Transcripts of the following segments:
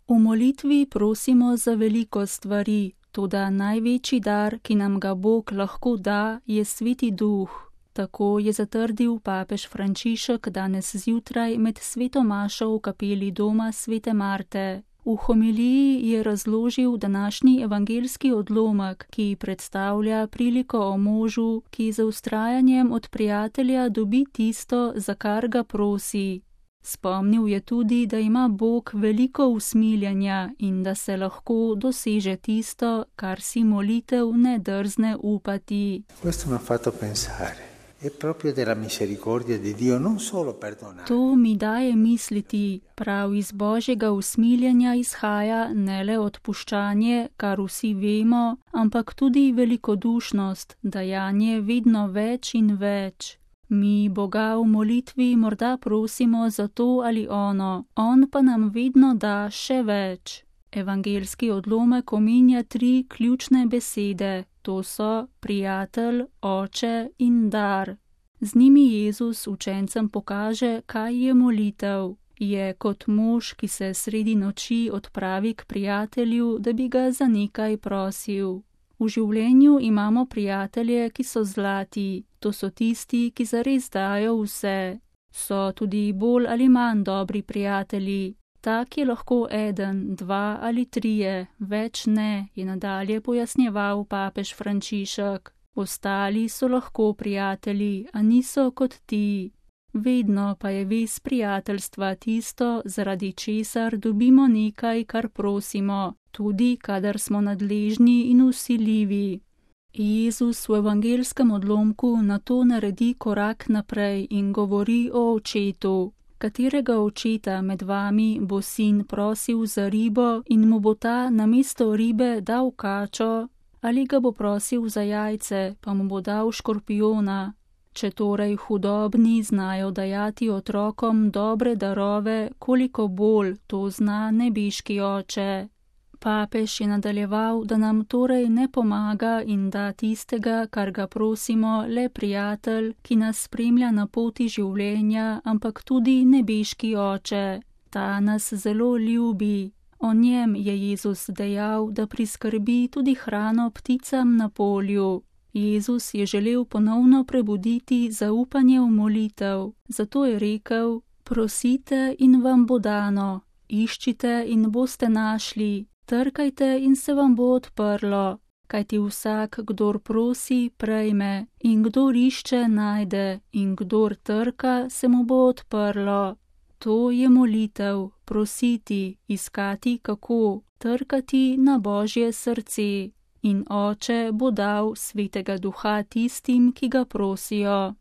V molitvi prosimo za veliko stvari, toda največji dar, ki nam ga Bog lahko da, je Sveti Duh. Tako je zatrdil papež Frančišek danes zjutraj med sveto mašo v kapeli doma svete Marte. V homiliji je razložil današnji evangeljski odlomek, ki predstavlja priliko o možu, ki z vztrajanjem od prijatelja dobi tisto, za kar ga prosi. Spomnil je tudi, da ima Bog veliko usmiljenja in da se lahko doseže tisto, kar si molitev ne drzne upati. To mi daje misliti, prav iz Božjega usmiljenja izhaja ne le odpuščanje, kar vsi vemo, ampak tudi velikodušnost, dajanje vedno več in več. Mi Boga v molitvi morda prosimo za to ali ono, on pa nam vedno da še več. Evangeljski odlomek omenja 3 ključne besede, to so prijatelj, oče in dar. Z njimi Jezus učencem pokaže, kaj je molitev. Je kot mož, ki se sredi noči odpravi k prijatelju, da bi ga za nekaj prosil. V življenju imamo prijatelje, ki so zlati, to so tisti, ki zares dajo vse. So tudi bolj ali manj dobri prijatelji. Tak je lahko 1, 2 ali 3, več ne, je nadalje pojasnjeval papež Frančišek. Ostali so lahko prijatelji, a niso kot ti. Vedno pa je vez prijateljstva tisto, zaradi česar dobimo nekaj, kar prosimo, tudi kadar smo nadležni in vsiljivi. Jezus v evangeljskem odlomku na to naredi korak naprej in govori o očetu. Katerega očeta med vami bo sin prosil za ribo in mu bo ta namesto ribe dal kačo, ali ga bo prosil za jajce, pa mu bo dal škorpijona? Če torej hudobni znajo dajati otrokom dobre darove, koliko bolj to zna nebeški oče. Papež je nadaljeval, da nam torej ne pomaga in da tistega, kar ga prosimo, le prijatelj, ki nas spremlja na poti življenja, ampak tudi nebeški oče. Ta nas zelo ljubi. O njem je Jezus dejal, da priskrbi tudi hrano pticam na polju. Jezus je želel ponovno prebuditi zaupanje v molitev, zato je rekel: prosite in vam bo dano, iščite in boste našli, trkajte in se vam bo odprlo, kajti vsak, kdor prosi, prejme, in kdor išče, najde, in kdor trka, se mu bo odprlo. To je molitev, prositi, iskati kako, trkati na Božje srce. In Oče bo dal Svetega Duha tistim, ki ga prosijo.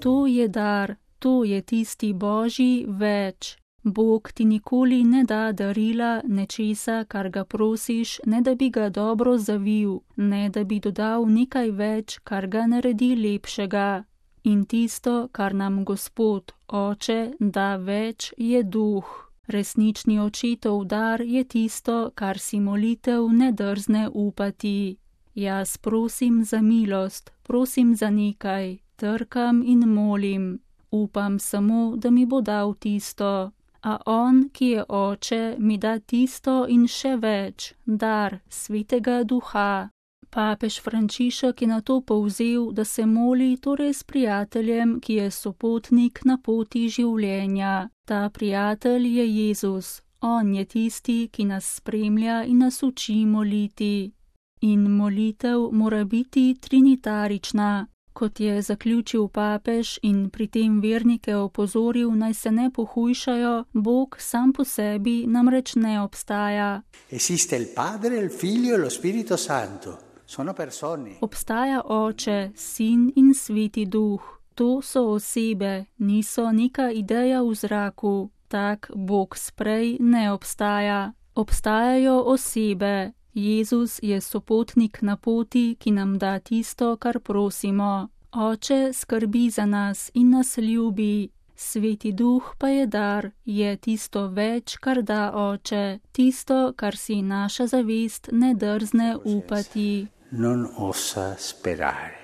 To je dar, to je tisti Božji več. Bog ti nikoli ne da darila nečesa, kar ga prosiš, ne da bi ga dobro zavil, ne da bi dodal nekaj več, kar ga naredi lepšega. In tisto, kar nam Gospod, Oče, da več, je Duh. Resnični očetov dar je tisto, kar si molitev ne drzne upati. Jaz prosim za milost, prosim za nekaj, trkam in molim. Upam samo, da mi bo dal tisto. A on, ki je Oče, mi da tisto in še več, dar Svetega Duha. Papež Frančišek je na to povzel, da se moli torej s prijateljem, ki je sopotnik na poti življenja. Ta prijatelj je Jezus. On je tisti, ki nas spremlja in nas uči moliti. In molitev mora biti trinitarična. Kot je zaključil papež in pri tem vernike opozoril, naj se ne pohujšajo, Bog sam po sebi namreč ne obstaja. Esiste il Padre, il Figlio e lo Spirito Santo. Sono persone. Obstaja Oče, Sin in Sveti Duh. To so osebe, niso neka ideja v zraku. Tak Bog sprej ne obstaja. Obstajajo osebe. Jezus je sopotnik na poti, ki nam da tisto, kar prosimo. Oče skrbi za nas in nas ljubi. Sveti Duh pa je dar, je tisto več, kar da Oče, tisto, kar si naša zavest ne drzne upati. Non osa sperare.